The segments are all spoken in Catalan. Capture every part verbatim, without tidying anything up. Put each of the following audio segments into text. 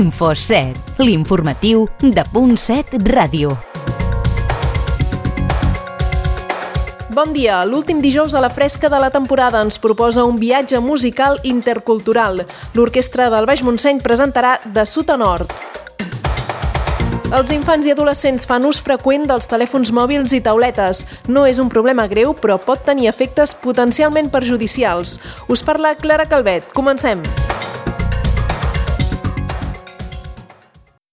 Info set, l'informatiu de Punt set Ràdio. Bon dia. L'últim dijous a la fresca de la temporada ens proposa un viatge musical intercultural. L'Orquestra del Baix Montseny presentarà De sud a nord. Els infants i adolescents fan ús freqüent dels telèfons mòbils i tauletes. No és un problema greu, però pot tenir efectes potencialment perjudicials. Us parla Clara Calvet. Comencem.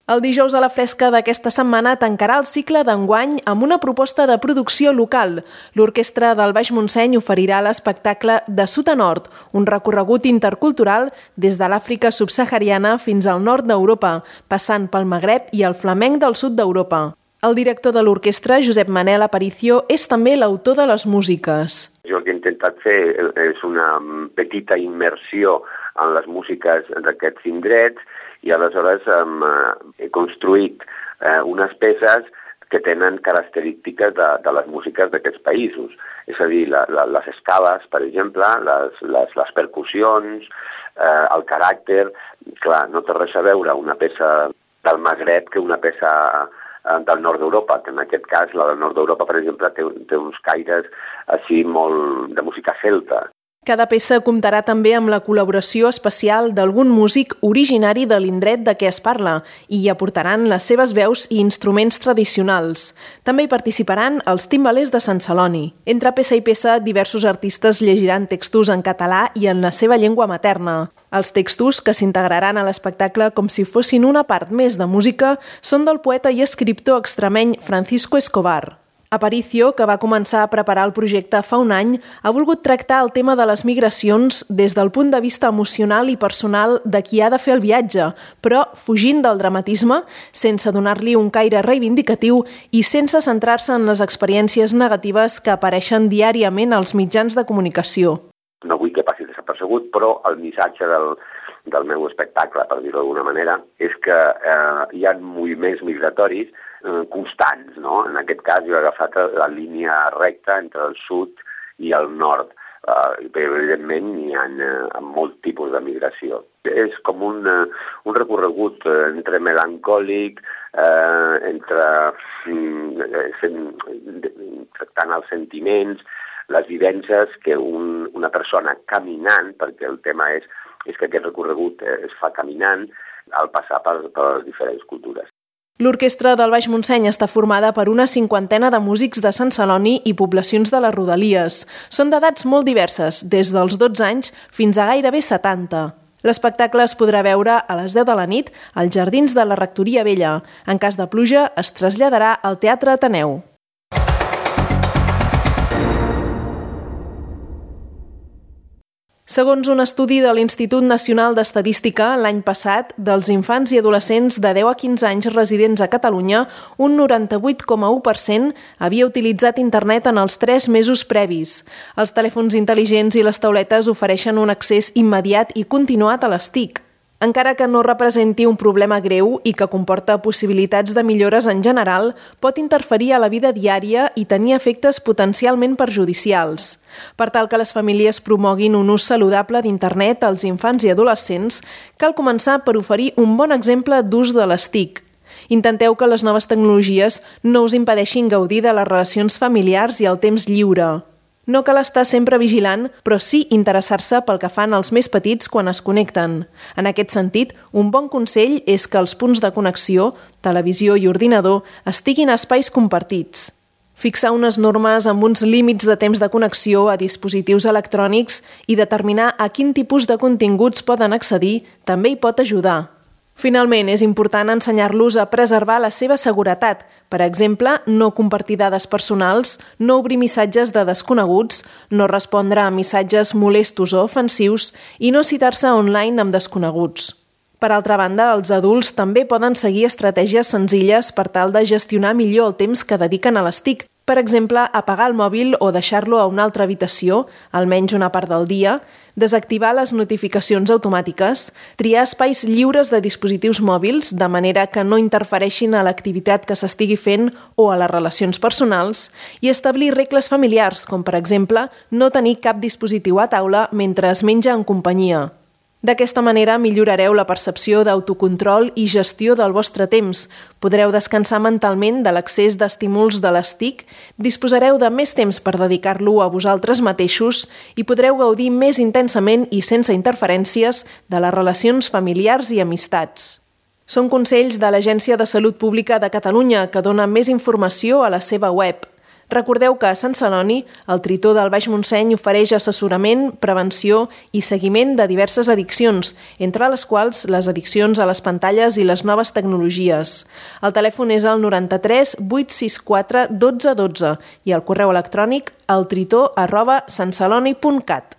El dijous a la fresca d'aquesta setmana tancarà el cicle d'enguany amb una proposta de producció local. L'Orquestra del Baix Montseny oferirà l'espectacle De sud a nord, un recorregut intercultural des de l'Àfrica subsahariana fins al nord d'Europa, passant pel Magreb i el flamenc del sud d'Europa. El director de l'orquestra, Josep Manel Aparicio, és també l'autor de les músiques. Jo el que he intentat fer és una petita immersió en les músiques d'aquests indrets i aleshores um, he construït uh, unes peces que tenen característiques de, de les músiques d'aquests països. És a dir, la, la, les escales, per exemple, les, les, les percussions, uh, el caràcter. Clar, no té res a veure una peça del Magreb que una peça uh, del nord d'Europa, que en aquest cas la del nord d'Europa, per exemple, té, té uns caires així molt de música celta. Cada peça comptarà també amb la col·laboració especial d'algun músic originari de l'indret de què es parla i hi aportaran les seves veus i instruments tradicionals. També hi participaran els timbalers de Sant Celoni. Entre peça i peça, diversos artistes llegiran textos en català i en la seva llengua materna. Els textos, que s'integraran a l'espectacle com si fossin una part més de música, són del poeta i escriptor extremeny Francisco Escobar. Aparicio, que va començar a preparar el projecte fa un any, ha volgut tractar el tema de les migracions des del punt de vista emocional i personal de qui ha de fer el viatge, però fugint del dramatisme, sense donar-li un caire reivindicatiu i sense centrar-se en les experiències negatives que apareixen diàriament als mitjans de comunicació. No vull que passi desapercebut, però el missatge del, del meu espectacle, per dir-ho d'alguna manera, és que eh, hi ha moviments migratoris constants, no? En aquest cas jo he agafat la línia recta entre el sud i el nord. Uh, evidentment hi ha uh, molt tipus de migració. És com un, uh, un recorregut uh, entre melancòlic, uh, entre uh, tractant els sentiments, les vivències que un, una persona caminant, perquè el tema és, és que aquest recorregut es fa caminant al passar per, per les diferents cultures. L'Orquestra del Baix Montseny està formada per una cinquantena de músics de Sant Celoni i poblacions de les rodalies. Són d'edats molt diverses, des dels dotze anys fins a gairebé setanta. L'espectacle es podrà veure a les deu de la nit als Jardins de la Rectoria Vella. En cas de pluja, es traslladarà al Teatre Ateneu. Segons un estudi de l'Institut Nacional d'Estadística, l'any passat, dels infants i adolescents de deu a quinze anys residents a Catalunya, un noranta-vuit coma u per cent havia utilitzat internet en els tres mesos previs. Els telèfons intel·ligents i les tauletes ofereixen un accés immediat i continuat a les T I C. Encara que no representi un problema greu i que comporta possibilitats de millores en general, pot interferir a la vida diària i tenir efectes potencialment perjudicials. Per tal que les famílies promoguin un ús saludable d'internet als infants i adolescents, cal començar per oferir un bon exemple d'ús de les T I C. Intenteu que les noves tecnologies no us impedeixin gaudir de les relacions familiars i el temps lliure. No cal estar sempre vigilant, però sí interessar-se pel que fan els més petits quan es connecten. En aquest sentit, un bon consell és que els punts de connexió, televisió i ordinador, estiguin a espais compartits. Fixar unes normes amb uns límits de temps de connexió a dispositius electrònics i determinar a quin tipus de continguts poden accedir també hi pot ajudar. Finalment, és important ensenyar-los a preservar la seva seguretat. Per exemple, no compartir dades personals, no obrir missatges de desconeguts, no respondre a missatges molestos o ofensius i no citar-se online amb desconeguts. Per altra banda, els adults també poden seguir estratègies senzilles per tal de gestionar millor el temps que dediquen a les T I C. Per exemple, apagar el mòbil o deixar-lo a una altra habitació, almenys una part del dia, desactivar les notificacions automàtiques, triar espais lliures de dispositius mòbils de manera que no interfereixin a l'activitat que s'estigui fent o a les relacions personals i establir regles familiars, com per exemple no tenir cap dispositiu a taula mentre es menja en companyia. D'aquesta manera millorareu la percepció d'autocontrol i gestió del vostre temps, podreu descansar mentalment de l'excés d'estímuls de les T I C, disposareu de més temps per dedicar-lo a vosaltres mateixos i podreu gaudir més intensament i sense interferències de les relacions familiars i amistats. Són consells de l'Agència de Salut Pública de Catalunya, que dona més informació a la seva web. Recordeu que a Sant Celoni, el Tritó del Baix Montseny ofereix assessorament, prevenció i seguiment de diverses addiccions, entre les quals les addiccions a les pantalles i les noves tecnologies. El telèfon és el noranta-tres vuit sis quatre dotze dotze i el correu electrònic eltritó arroba santceloni punt cat.